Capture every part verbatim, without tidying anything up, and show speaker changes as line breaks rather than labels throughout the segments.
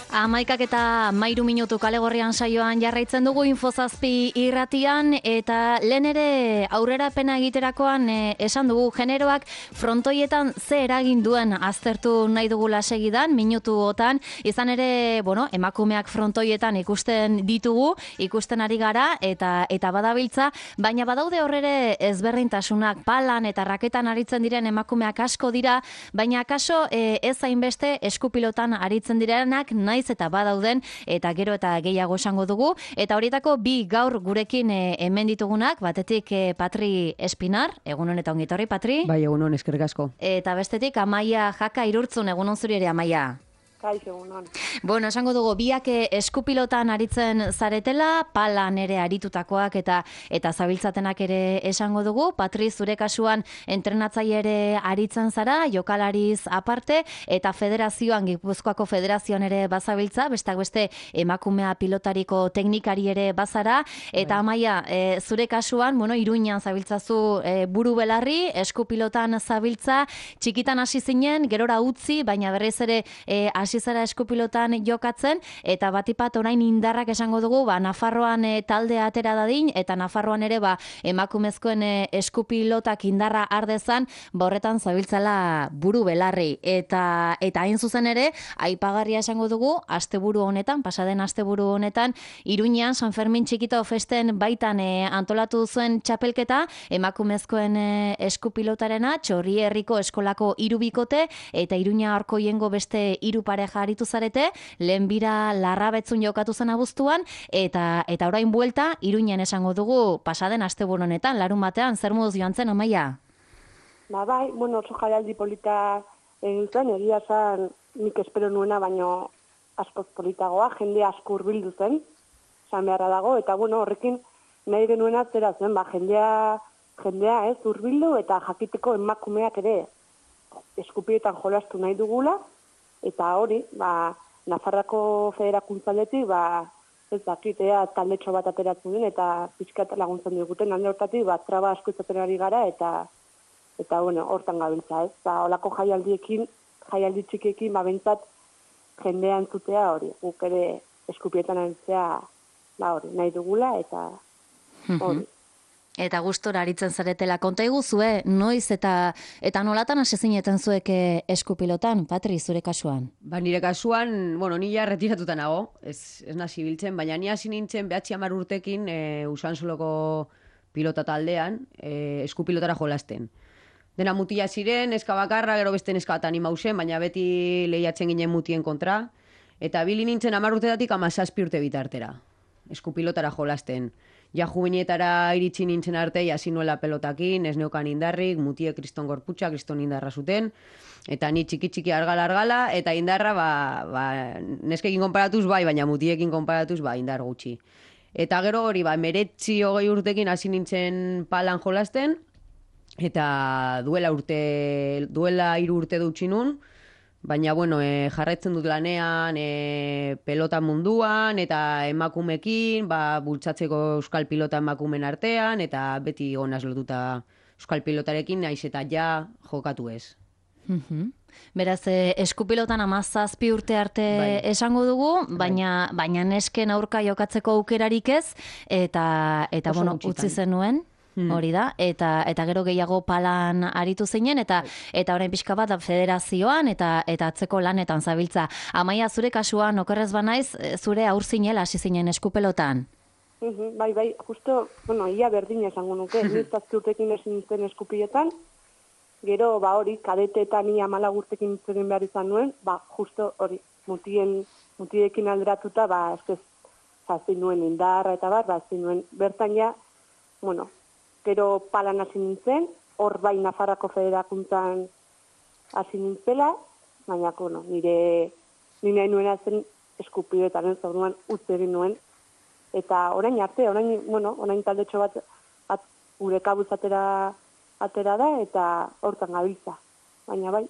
Amaikak eta mairu minutu kalegorrian saioan jarraitzen dugu Infozazpi irratian, eta lehen ere aurrerapena egiterakoan e, esan dugu generoak frontoietan ze eragin duen aztertu nahi dugula segidan, minutuotan, izan ere, bueno, emakumeak frontoietan ikusten ditugu, ikusten ari gara, eta eta badabiltza, baina badaude horrere ezberdintasunak, palan eta raketan aritzen diren emakumeak asko dira, baina akaso e, ez hainbeste eskupilotan aritzen direnak, naiz eta badauden, eta gero eta gehiago esango dugu, eta horietako bi gaur gurekin e, hemen ditugunak, batetik e, Patri Espinar, egunon eta ongitorri, Patri.
Bai, egunon, eskerrik asko.
Eta bestetik Amaia Jaka Irurtzun, egunon zuri ere, Amaia.
Kaixo, egunon.
Bueno, esango dugu, biak eskupilotan aritzen zaretela, palan ere aritutakoak eta eta zabiltzatenak ere esango dugu. Patri, zure kasuan entrenatzaile ere aritzen zara, jokalariz aparte, eta federazioan, Gipuzkoako federazioan ere bazabiltza, bestak beste emakumea pilotariko teknikari ere bazara, eta Amaia, e, zure kasuan, bueno, Iruñan zabiltzazu e, buru belarri, eskupilotan zabiltza, txikitan hasi zinen, gerora utzi, baina berriz ere e, hasi zara eskupilotan jokatzen, eta batipat orain indarrak esango dugu, ba, Nafarroan e, talde atera dadin, eta Nafarroan ere ba, emakumezkoen e, eskupilotak indarra ardezan, ba, horretan zabiltzala buru belarri. Eta eta hain zuzen ere, aipagarria esango dugu, asteburu honetan, pasaden asteburu honetan, Iruñean San Fermin txikito festen baitan e, antolatu zuen txapelketa, emakumezkoen e, eskupilotarena, Txorri herriko eskolako hiru bikote, eta Iruña Arkoiengo beste hiru pareja aritu zarete, lehen bira Larrabetzun jokatu zen abuztuan, eta eta orain buelta, Iruñen esango dugu pasaden asteburu honetan, larun batean, zer moduz joan zen, Amaia?
Ba, bai, bueno, oso jaialdi polita egin zen, egia zen nik espero nuena, baino askoz politagoa, jende asko hurbildu zen, esan beharra dago, eta bueno, horrekin nahi genuena zera zen, ba, jendea, jendea ez hurbildu, eta jakiteko emakumeak ere eskupietan jolastu nahi dugula, eta hori, ba, Nafarrako federakuntzaletik, ba, ez dakitea taldetxo bat ateratzen den, eta pixkat laguntzen diguten, alde hortatik, ba, traba asko izaten ari gara, eta, eta bueno, hortan gabiltza, ez? Ba, olako jaialdiekin, jaialdi txikiekin, ba, bentsat, jendea entzutea hori, guk ere eskupietan aritzea, ba, hori, nahi dugula, eta hori.
Eta gustora aritzen zaretela. Konta iguzue, noiz eta eta nolatan hasi zineten zuek eskupilotan, Patri, zure kasuan?
Ba, nire kasuan, bueno, ni ja retiratuta nago, ez, ez nazi biltzen, baina ni hasi nintzen behatzi hamar urtekin e, Usansoloko pilota taldean, e, eskupilotara jolasten. Dena mutila ziren, neska bakarra, gero beste neska bat anima zen, baina beti lehiatzen ginen mutien kontra, eta bili nintzen hamar urtetatik hamazazpi urte bitartera, eskupilotara jolasten. Ja juvenetara iritsi nintzen arte, hasi nuela pelotakin, ez neukan indarrik, mutie kriston gorputxa, kriston indarra zuten, eta ni txiki-txiki argala-argala, eta indarra, ba, ba, neskekin konparatuz bai, baina mutiekin konparatuz, ba, indar gutxi. Eta gero hori, ba, meretzi hogei urtekin hasi nintzen palan jolasten, eta duela urte, duela hiru urte dutxi nun, baina, bueno, e, jarraitzen dut lanean e, pelota munduan, eta emakumekin, ba, bultzatzeko euskal pilota emakumen artean, eta beti gonaz lotuta euskal pilotarekin, naiz eta ja jokatu ez.
Mm-hmm. Beraz, eh, eskupilotan hamazazpi urte arte bai. Esango dugu, baina, baina nesken aurka jokatzeko aukerarik ez, eta, eta bueno, utzi zenuen. Hori da, eta eta gero gehiago palan aritu zinen, eta eta orain pixka bat federazioan, eta eta atzeko lanetan zabiltza. Amaia, zure kasuan, okerrez banaiz, zure aur zinela hasi zinen eskupelotan?
Uh-huh, bai, bai, justo, bueno, ia berdina esango nuke, niztazki urtekin ezin nintzen eskupiletan, gero, ba hori, kadeteetan ia malagurtekin nintzen behar izan nuen, ba, justo hori, mutien, mutiekin alderatuta, ba, ez zazin nuen indarra eta bat, ba, zazin nuen bertan ja, bueno, gero palan hasi nintzen, hor bai Nafarrako federakuntzan hasi nintzela, baina, bueno, nire, nire nuena zen eskupiletan, ez orduan utzi egin nuen, eta orain arte, orain, bueno, orain taldetxo bat, bat gure kabuz atera, atera da, eta hortan gabiltza, baina bai.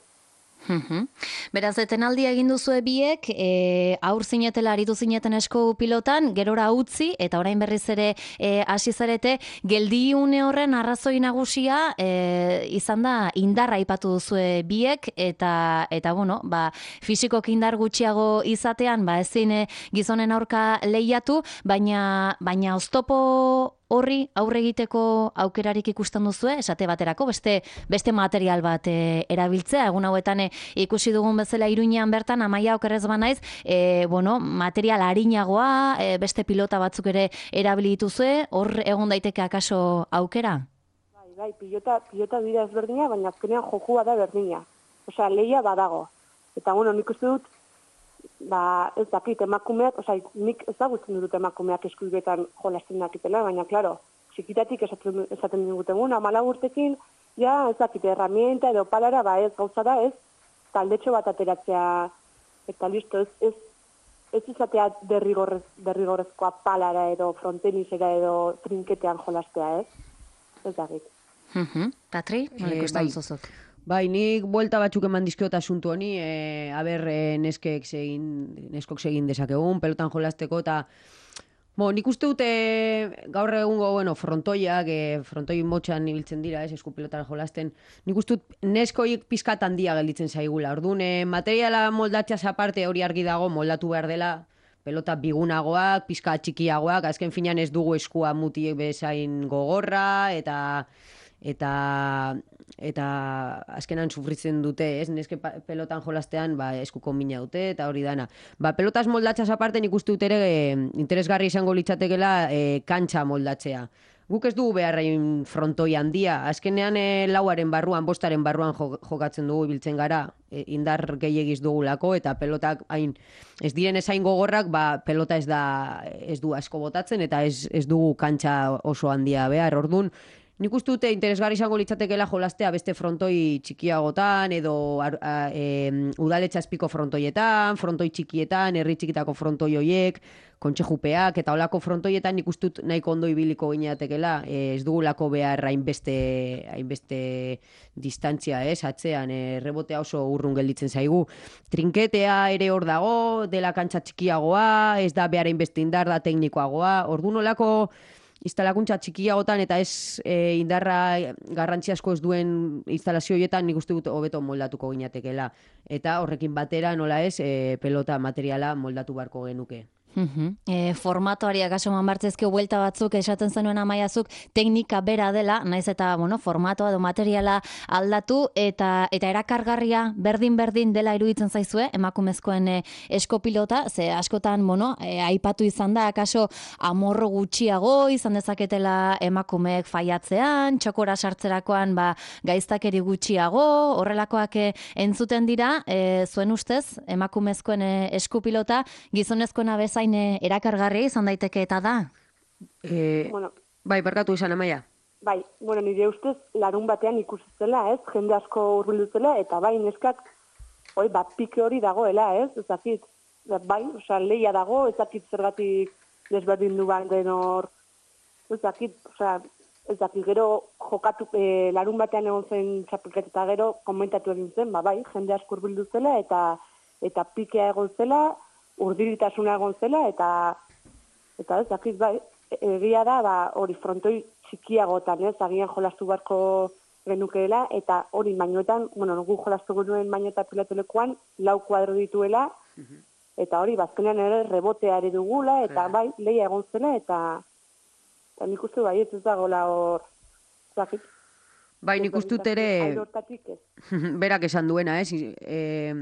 Beraz, etenaldia egin duzue biek, e, aur zinetela aritu zineten esku pilotan, gerora utzi, eta orain berriz ere e, hasi zarete, geldiune horren arrazoi nagusia e, izan da indarra aipatu duzue biek, eta, eta bueno, ba, fisikok indar gutxiago izatean, ba, ezin e, gizonen aurka lehiatu, baina, baina oztopo horri aurre egiteko aukerarik ikusten duzue, esate baterako, beste, beste material bat e, erabiltzea, egun hauetan e, ikusi dugun bezala Iruñean bertan, Amaia okerrez banaiz, e, bueno, material arinagoa, e, beste pilota batzuk ere erabili dituzue, hor egon daiteke akaso aukera?
Bai, bai, pilota, pilota dira ezberdina, baina azkenean jokua da berdina. Osea, lehia badago. Eta, bueno, nik uste dut, ba, ez dakit, emakumeak, osea, nik ezagutzen dut emakumeak eskubiletan jolasten dakitela, baina, klaro, txikitatik esaten, esaten diguten, amala urtekin, ja, ez dakit, herramienta edo palara, ba, ez gauza da, ez, taldetxo bat ateratzea, eta listo, ez, ez, ez izatea derrigorrez, derrigorrezkoa palara edo frontenisera edo trinketean jolastea, ez? Ez dakit.
Uh-huh. Patri, nola
Eh,
ikusten
bai.
duzuzuk?
Bai, nik buelta batzuk eman dizkiot asuntu honi, e, aber e, neskek segin, neskok segin dezakegun, pelotan jolasteko, eta bo, nik uste dute gaur egungo, bueno, frontoiak, e, frontoi motxan ibiltzen dira, ez, esku pelotan jolasten, nik uste dut neskoik pizkat handia gelditzen zaigula. Orduan, e, materiala moldatzeaz aparte hori argi dago, moldatu behar dela, pelota bigunagoak, pizka txikiagoak, azken finean ez dugu eskua muti bezain gogorra, eta eta eta azkenan sufritzen dute, ez? Neske pelotan jolastean, ba, eskuko mina dute, eta hori dana. Ba, pelotas moldatzeaz aparte nik uste dut ere e, interesgarri izango litzatekela e, kantxa moldatzea. Guk ez dugu beharrain frontoi handia. Azkenean e, lauaren barruan, bostaren barruan jokatzen dugu ibiltzen gara, e, indar gehiagiz dugulako, eta pelotak hain ez diren ezain gogorrak, ba, pelota ez da ez du asko botatzen, eta ez, ez dugu kantxa oso handia behar. Ordun, nik uste dute interesgarri izango litzatekeela jolastea beste frontoi txikiagotan, edo a, e, udaletxazpiko frontoietan, frontoi txikietan, herri txikitako frontoi hoiek, kontxejupeak, eta olako frontoietan nik uste dut nahiko ondo ibiliko gineatekela, e, ez dugulako behar hainbeste, hainbeste distantzia, ez, atzean, e, rebotea oso urrun gelditzen zaigu. Trinketea ere hor dago, dela kantxa txikiagoa, ez da behar hainbeste indar da teknikoagoa, orduan olako instalakuntza txikiagotan eta ez e, indarra garrantzi asko ez duen instalazio horietan nik uste dut hobeto moldatuko ginatekela. Eta horrekin batera nola ez e, pelota materiala moldatu beharko genuke.
Uh-huh. E, formatoari akaso manbartzezke buelta batzuk esaten zenuen Amaiazuk teknika bera dela, naiz eta bueno, formatoa edo materiala aldatu eta eta erakargarria berdin-berdin dela iruditzen zaizue emakumezkoen e, eskopilota, ze askotan bueno, e, aipatu izan da akaso amorro gutxiago izan dezaketela emakumeek faiatzean, txokora sartzerakoan ba, gaiztakeri gutxiago, horrelakoak e, entzuten dira, e, zuen ustez emakumezkoen e, eskupilota gizonezkoena bezain erakargarri izan daiteke eta da?
E,
Bueno,
bai, barkatu izan, Amaia.
bai, bueno, nire ustez larun batean ikusi zela, ez? Jende asko hurbildu zela, eta bai, neskak, oi, bat pike hori dagoela, ez? Ez dakit, bai, osea, lehia dago, ez dakit zergatik desberdin du den hor, ez dakit, osea, ez dakit, gero jokatu, e, larun batean egon zen txapelketa eta gero komentatu egin zen, ba, bai, jende asko hurbildu zela, eta eta pikea egon zela, urdiritasuna egon zela, eta eta ez dakit, bai, egia da, ba, hori frontoi txikiagotan, ez, agian jolastu beharko genukeela, eta hori mainuetan, bueno, nugu jolastu genuen mainu eta pilotelekoan, lau kuadro dituela, eta hori, bazkenean ere rebotea ere dugula, eta bai, lehia egon zela, eta, eta nik uste bai, ez ez dagoela hor, ez dakit.
Bai, nik uste dut ere,
Alde hortatik ez.
berak esan duena, ez, e,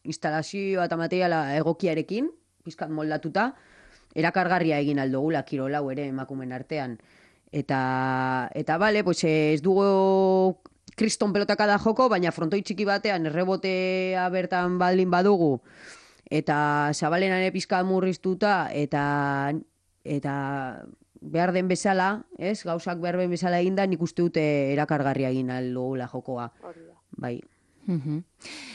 instalazioa eta materiala egokiarekin, pizkat moldatuta, erakargarria egin aldogula kirolau ere emakumen artean. Eta, eta bale, pues ez dugu kriston pelotaka da joko, baina frontoi txiki batean errebotea bertan baldin badugu, eta zabalenan ere pizkat murriztuta, eta, eta behar den bezala, ez, gauzak behar den bezala eginda, nik uste dute erakargarria egin aldogula jokoa.
Hori da.
Bai.
Uh-huh.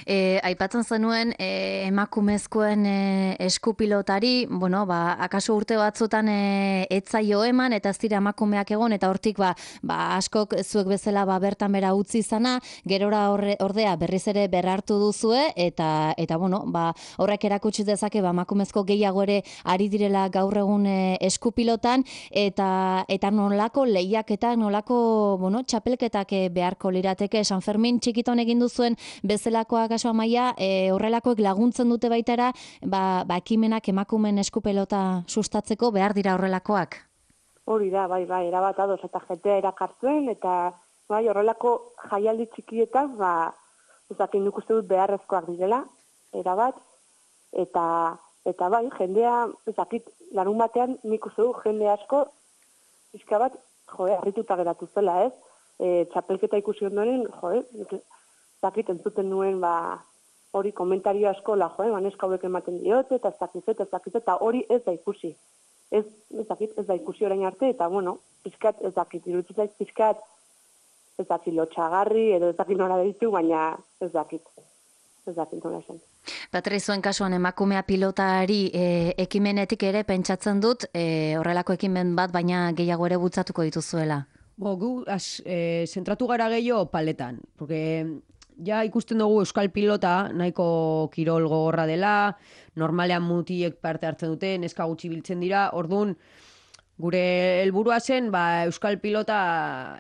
E, aipatzen zenuen e, emakumezkoen e, eskupilotari, bueno, ba, akaso urte batzutan e, etzaio eman eta ez dira emakumeak egon eta hortik ba, ba askok zuek bezala ba bertan bera utzi izana, gerora horre, ordea berriz ere berrartu duzue eta eta bueno, ba horrek erakutsi dezake ba emakumezko gehiago ere ari direla gaur egun e, eskupilotan eta eta nolako lehiaketa, nolako, bueno, txapelketak e, beharko lirateke San Fermin txikiton egin duzuen bezalakoak kaso Amaia, e, horrelakoek laguntzen dute baitara, ba, ba ekimenak emakumen eskupelota sustatzeko behar dira horrelakoak.
Hori da, bai, bai, erabat ados eta jentea erakartzen, eta bai, horrelako jaialdi txikietan, ba, ezakin nik uste dut beharrezkoak direla, erabat, eta, eta bai, jendea, ezakit, larun batean nik uste dut jende asko, pixka bat, joe, harrituta geratu zela, ez? E, txapelketa ikusi ondoren, joe, zakit entzuten nuen, ba, hori komentario asko la, joe, baneska hauek ematen diote, eta ez dakizet, ez dakizet, eta hori ez da ikusi. Ez, ez dakit, ez da ikusi orain arte, eta, bueno, pizkat, ez dakit, iruditzen zait, pizkat, ez dakit, lotxagarri, edo ez dakit nola ditu, baina ez dakit, ez dakit nola esan.
Patri, zuen kasuan emakumea pilotari e, ekimenetik ere pentsatzen dut, e, horrelako ekimen bat, baina gehiago ere bultzatuko dituzuela.
Bo, gu, az, e, zentratu gara gehiago paletan, porque ja ikusten dugu euskal pilota nahiko kirol gogorra dela, normalean mutiek parte hartzen dute, neska gutxi biltzen dira, orduan gure helburua zen ba, euskal pilota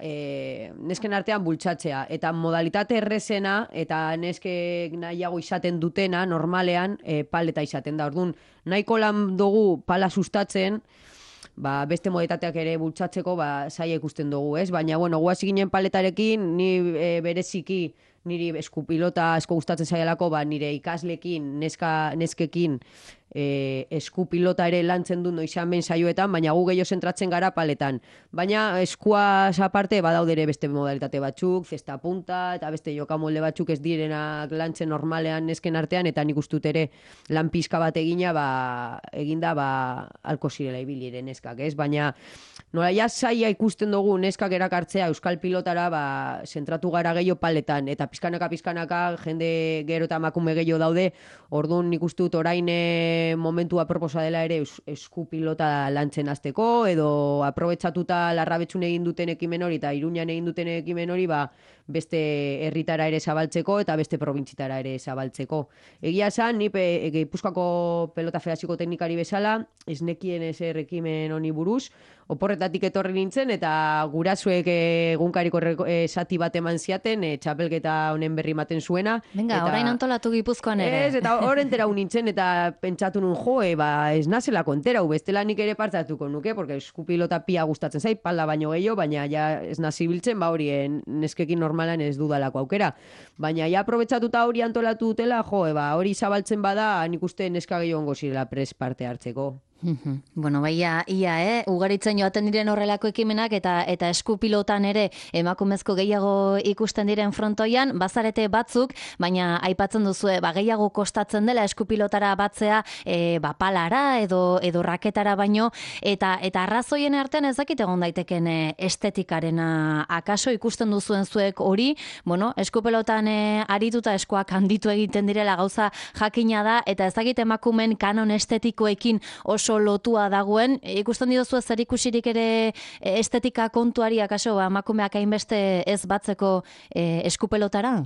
e, nesken artean bultzatzea, eta modalitate errezena eta neskek nahiago izaten dutena normalean e, paleta izaten da, orduan nahiko lan dugu pala sustatzen, ba, beste modetateak ere bultzatzeko ba, zaila ikusten dugu, ez? Baina, bueno, guazi ginen paletarekin, ni e, bereziki niri eskupilota asko gustatzen zaialako, ba, nire ikaslekin, neska, neskekin e, eskupilota ere lantzen du noizan ben saioetan, baina gu gehiago zentratzen gara paletan. Baina eskuaz aparte badaude ere beste modalitate batzuk, zesta punta, eta beste jokamolde batzuk ez direnak lantzen normalean nesken artean, eta nik ustut ere lan pizka bat egina, ba, eginda ba, alko zirela ibili ere neskak, ez? Baina nola ja zaila ikusten dugu neskak erakartzea euskal pilotara, ba, zentratu gara gehiago paletan, eta pizkanaka pizkanaka jende gero eta emakume gehiago daude, orduan nik ustut orain momentua proposa dela ere esku pilota lantzen hasteko, edo aprobetxatuta Larrabetxun egin duten ekimen hori eta Iruñan egin duten ekimen hori, ba, beste herritara ere zabaltzeko eta beste probintzitara ere zabaltzeko. Egia esan, ni pe, Gipuzkoako pelota federazioko teknikari bezala, ez nekien ezer ekimen honi buruz, oporretatik etorri nintzen, eta gurasuek egunkariko esati bat eman ziaten, e, txapelketa honen berri ematen zuena.
Venga,
eta,
orain antolatu Gipuzkoan ere.
Ez, eta horren terau nintzen, eta pentsatu nun, jo, e, ba, ez nazela konterau, bestela nik ere partzatuko nuke, porque eskupilota pia gustatzen zait, pala baino gehiago, baina ja ez nazibiltzen, ba hori, neskekin normalan ez dudalako aukera. Baina ja aprobetxatuta hori antolatu dutela, jo, e, ba, hori zabaltzen bada, nik uste neska gehiago ongo zirela pres parte hartzeko.
Bueno, baia, ia, eh? Ugaritzen joaten diren horrelako ekimenak eta eta eskupilotan ere emakumezko gehiago ikusten diren frontoian, bazarete batzuk, baina aipatzen duzue, ba, gehiago kostatzen dela eskupilotara batzea, e, ba, palara edo, edo raketara baino, eta eta arrazoien artean ez dakit egon daiteken e, estetikarena akaso ikusten duzuen zuek hori, bueno, eskupilotan e, arituta eskuak handitu egiten direla gauza jakina da, eta ez dakit emakumen kanon estetikoekin oso lotua dagoen, ikusten diozu zer ikusirik ere estetika kontuari akaso emakumeak hainbeste ez batzeko e, eskupelotara?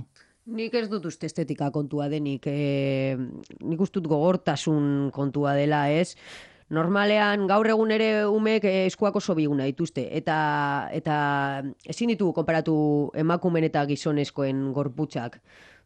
Nik ez dut uste estetika kontua denik, e, nik ustut gogortasun kontua dela, ez? Normalean gaur egun ere umek eskuak oso biguna dituzte, eta, eta ezin ditugu konparatu emakumen eta gizonezkoen gorputzak.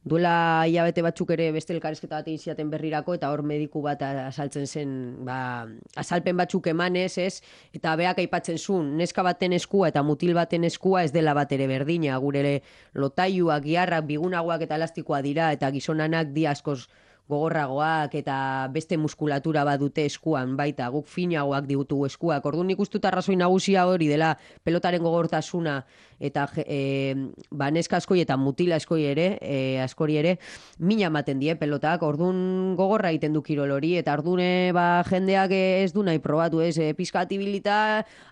Duela hilabete batzuk ere beste elkarrizketa bat egin ziaten berrirako, eta hor mediku bat azaltzen zen, ba, azalpen batzuk emanez, ez? Eta beak aipatzen zuen, neska baten eskua eta mutil baten eskua ez dela bat ere berdina, gure lotaiuak, giarrak, bigunagoak eta elastikoa dira, eta gizonanak di askoz gogorragoak eta beste muskulatura bat dute eskuan, baita guk finagoak digutu eskuak. Orduan nik uste dut arrazoi nagusia hori dela pelotaren gogortasuna eta e, ba, neska askoi eta mutila askoi ere, e, askori ere, mina ematen die pelotak. Orduan gogorra egiten du kirol hori, eta ordune ba, jendeak ez du nahi probatu, ez, e, pizkatibilita,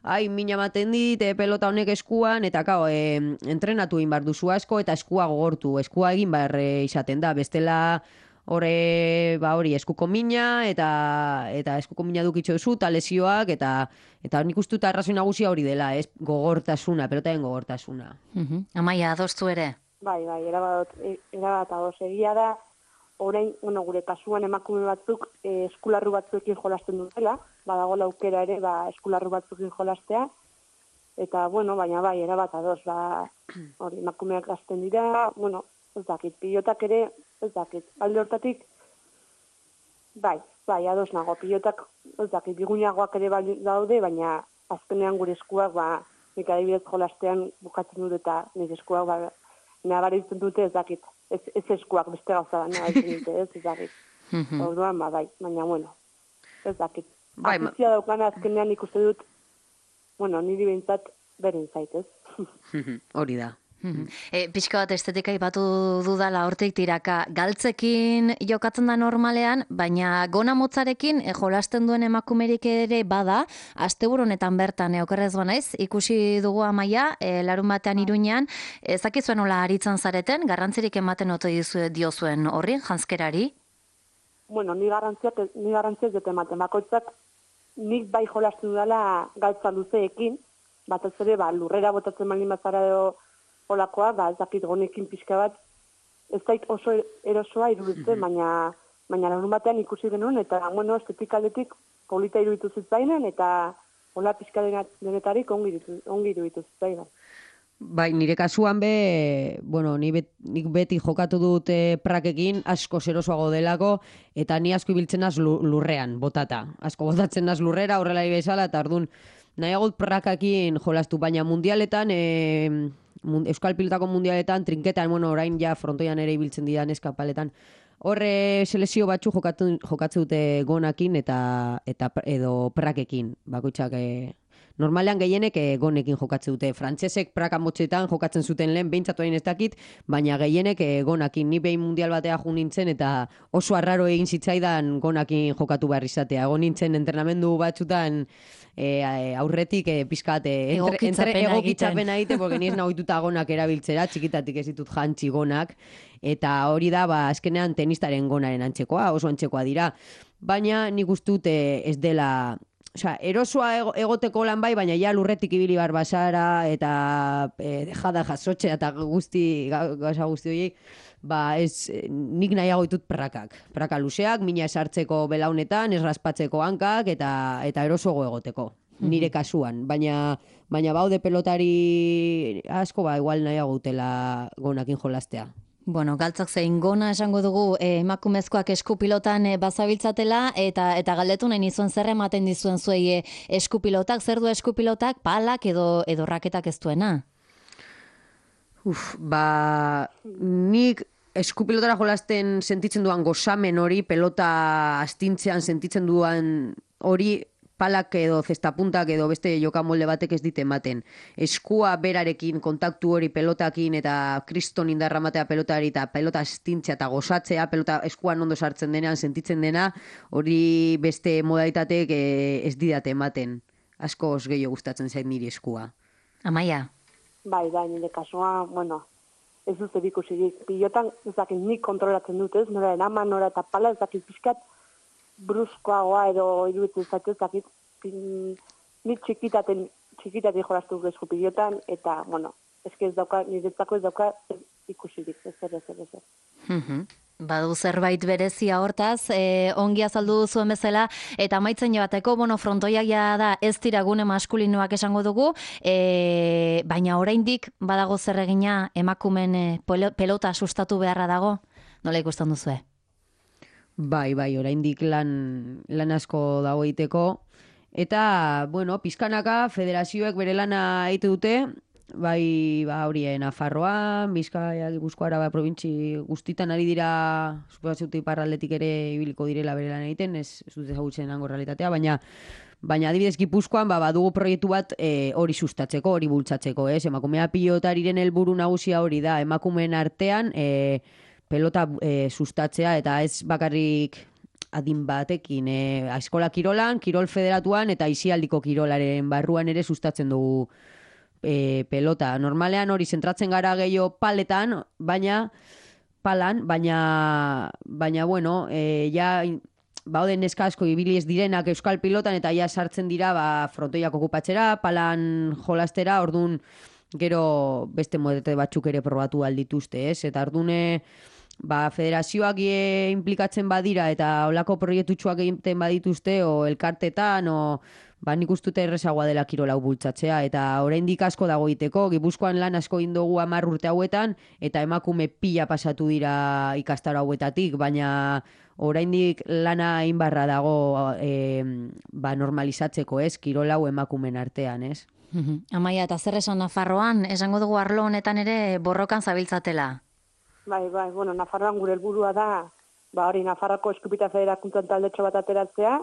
ai, mina ematen dit, e, pelota honek eskuan, eta kao, e, entrenatu egin behar duzu asko, eta eskua gogortu, eskua egin behar e, izaten da, bestela hori, ba hori, eskuko mina, eta eta eskuko mina dukitxo duzu, eta lesioak, eta eta nik uste dut arrazoi nagusia hori dela, ez, gogortasuna, pelotaren gogortasuna.
Uh-huh. Amaia, adostu ere?
Bai, bai, erabat, erabat ados. Egia da, orain, bueno, gure kasuan emakume batzuk eh, eskularru batzuekin jolasten dutela, badago aukera ere, ba, eskularru batzuekin jolastea, eta, bueno, baina bai, erabat ados, ba, hori, emakumeak gazten dira, bueno, ez dakit, pilotak ere, ez dakit, alde hortatik, bai, bai, ados nago, pilotak, ez dakit, bigunagoak ere daude, baina azkenean gure eskuak, ba, nik adibidez jolastean bukatzen dut eta nire eskuak, ba, nabaritzen dute, ez dakit, ez, ez eskuak beste gauza da, nabaritzen dute, ez, ez dakit. Orduan, ba, bai, baina, bueno, ez dakit.
Bai,
Afizia daukana azkenean ikuste dut, bueno, niri behintzat beren zaitez.
Hori da.
E, pixka bat estetika ipatu dudala hortik tiraka, galtzekin jokatzen da normalean, baina gona motzarekin e, jolasten duen emakumerik ere bada, asteburu honetan bertan, e, okerrez banaiz, ikusi dugu Amaia, e, larun batean Iruñean, ezakizuen nola aritzen zareten, garrantzirik ematen ote diozuen horri, janzkerari?
Bueno, ni garrantziak, ni garrantziak dut ematen, bakoitzak nik bai jolasten dudala galtza luzeekin, batez ere, ba, lurrera botatzen malin batzara edo olakoa, ba, ez dakit gonekin pixka bat, ez dait oso erosoa iruditzen, baina, baina larun batean ikusi genuen, eta, bueno, estetik aldetik polita iruditu zitzainen, eta hola pixka denetarik ongi iruditu zitzainen.
Bai, nire kasuan be, bueno, ni bet, nik beti jokatu dut e, prakekin, asko zerosoago delako, eta ni asko ibiltzen naz lurrean, botata. Asko botatzen naz lurrera, horrela bezala, eta ordun nahiagot prakakin jolastu, baina mundialetan, e, Euskal Pilotako mundialetan, trinketan, bueno, orain ja frontoian ere ibiltzen didan eskapaletan, horre selezio batzu jokatzen, jokatzen dute gonakin eta, eta edo prakekin, bakoitzak e, normalean gehienek e, gonekin jokatzen dute. Frantsesek praka motxetan jokatzen zuten lehen, behintzatu hain ez dakit, baina gehienek e, gonakin. Ni behin mundial batea jo nintzen eta oso arraro egin zitzaidan gonakin jokatu behar izatea. Egon nintzen entrenamendu batzutan e, aurretik e, pizkat e, egokitzapena egite, porque ni ez nahituta gonak erabiltzera, txikitatik ez ditut jantzi gonak, eta hori da, ba, azkenean tenistaren gonaren antzekoa, oso antzekoa dira. Baina nik ustut e, ez dela... Osea, erosoa egoteko lan bai, baina ja lurretik ibili bar basara eta e, jada jasotzea eta guzti, gauza guzti horiek, ba ez, nik nahiago ditut prakak. Praka luzeak, mina esartzeko belaunetan, ez raspatzeko hankak eta eta erosoago egoteko, nire kasuan. Baina, baina baude pelotari asko, ba, igual nahiago utela gonakin jolastea.
Bueno, galtzak zein gona esango dugu eh, emakumezkoak eskupilotan eh, bazabiltzatela eta eta galdetu nahi nizuen zer ematen dizuen zuei eh, eskupilotak, zer du eskupilotak, palak edo edo raketak ez duena?
Uf, ba, nik eskupilotara jolasten sentitzen duan gozamen hori, pelota astintzean sentitzen duan hori, palak edo zestapuntak edo beste jokamolde batek ez dit ematen. Eskua berarekin, kontaktu hori pelotakin eta kriston indarra matea pelotari eta pelota astintzea eta gozatzea, pelota eskuan ondo sartzen denean, sentitzen dena, hori beste modalitatek ez didate ematen. Asko os gehiago gustatzen zait niri eskua.
Amaia?
Bai, bai, nire kasua, bueno, ez dut erikusirik. Pilotan, ez dakit, nik kontrolatzen dut, ez, nora eraman, nora eta pala, ez dakit pixkat, bruskoagoa edo iruditzen zaitu ez dakit, nik txikitaten, txikitaten jolastu esku pilotan, eta, bueno, eske ez dauka, niretzako ez dauka ikusirik, ez zer, ez zer, ez zer.
Badu zerbait berezia hortaz, e, ongi azaldu zuen bezala, eta amaitzen joateko, bueno, frontoiak ja da ez dira gune maskulinoak esango dugu, e, baina oraindik badago zer egina emakumen e, pelota sustatu beharra dago, nola ikusten duzue?
Bai, bai, oraindik lan, lan asko dago egiteko. Eta, bueno, pizkanaka federazioek bere lana egite dute, bai, ba, hori, eh, Nafarroan, Bizkaia, Gipuzkoa, Araba, probintzi guztitan ari dira, suposatzut iparraldetik ere ibiliko direla bere lan egiten, ez, ez dut ezagutzen hango realitatea, baina Baina adibidez Gipuzkoan ba, badugu proiektu bat e, hori sustatzeko, hori bultzatzeko, ez? Emakumea pilotariren helburu nagusia hori da, emakumeen artean e, pelota e, sustatzea eta ez bakarrik adin batekin, e, eskola kirolan, kirol federatuan eta isialdiko kirolaren barruan ere sustatzen dugu e, pelota. Normalean hori zentratzen gara gehiago paletan, baina palan, baina, baina bueno, e, ja... Ba, oden neska asko ibili ez direnak euskal pilotan eta ja sartzen dira ba, frontoiak okupatzera, palan jolastera, ordun gero beste modete batzuk ere probatu aldituzte, ez? Eta ordune ba, federazioak e, implikatzen badira eta olako proiektutxoak egiten badituzte, o elkartetan, o ba, nik ustute errezagoa dela kirolau bultzatzea, eta oraindik asko dago iteko, Gipuzkoan lan asko indogu hamar urte hauetan, eta emakume pila pasatu dira ikastaro hauetatik, baina oraindik lana inbarra dago e, ba, normalizatzeko, ez, kirolau emakumen artean, ez?
Amaia, eta zer esan Nafarroan, esango dugu arlo honetan ere borrokan zabiltzatela?
Bai, bai, bueno, Nafarroan gure helburua da, ba hori Nafarroko Eskupita Federakuntzan taldetxo bat ateratzea,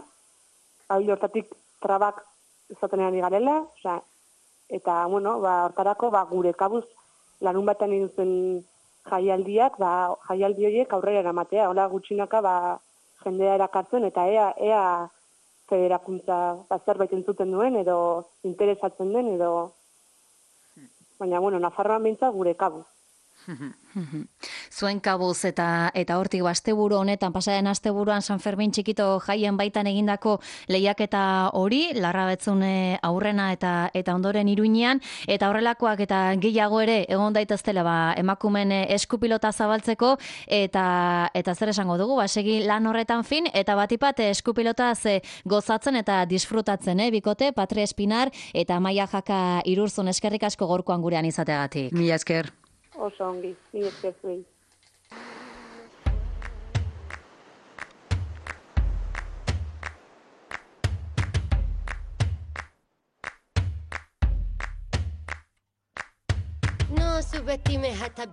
hau hortatik trabak izaten ari garela, osea, eta, bueno, ba, hortarako, ba, gure kabuz lanun batean induzen jaialdiak, ba, jaialdi horiek aurrera eramatea, hola gutxinaka, ba, jendea erakartzen, eta ea, ea federakuntza ba, zerbait entzuten duen, edo interesatzen den, edo, baina, bueno, Nafarroan behintzat gure kabuz.
Zuen kabuz eta eta hortik asteburu honetan pasaren asteburuan San Fermin txikito jaien baitan egindako lehiaketa hori Larrabetzune aurrena eta eta ondoren Iruinean eta horrelakoak eta gehiago ere egon daiteztela ba emakumeen eskupilota zabaltzeko eta eta zer esango dugu ba segi lan horretan fin eta batipat eskupilotaz gozatzen eta disfrutatzen eh bikote Patri Espinar eta Amaia Jaka Irurzun eskerrik asko gorkoan gurean izateagatik.
Mila esker.
Oso ongi, ni esker zuei.
No subestimes hasta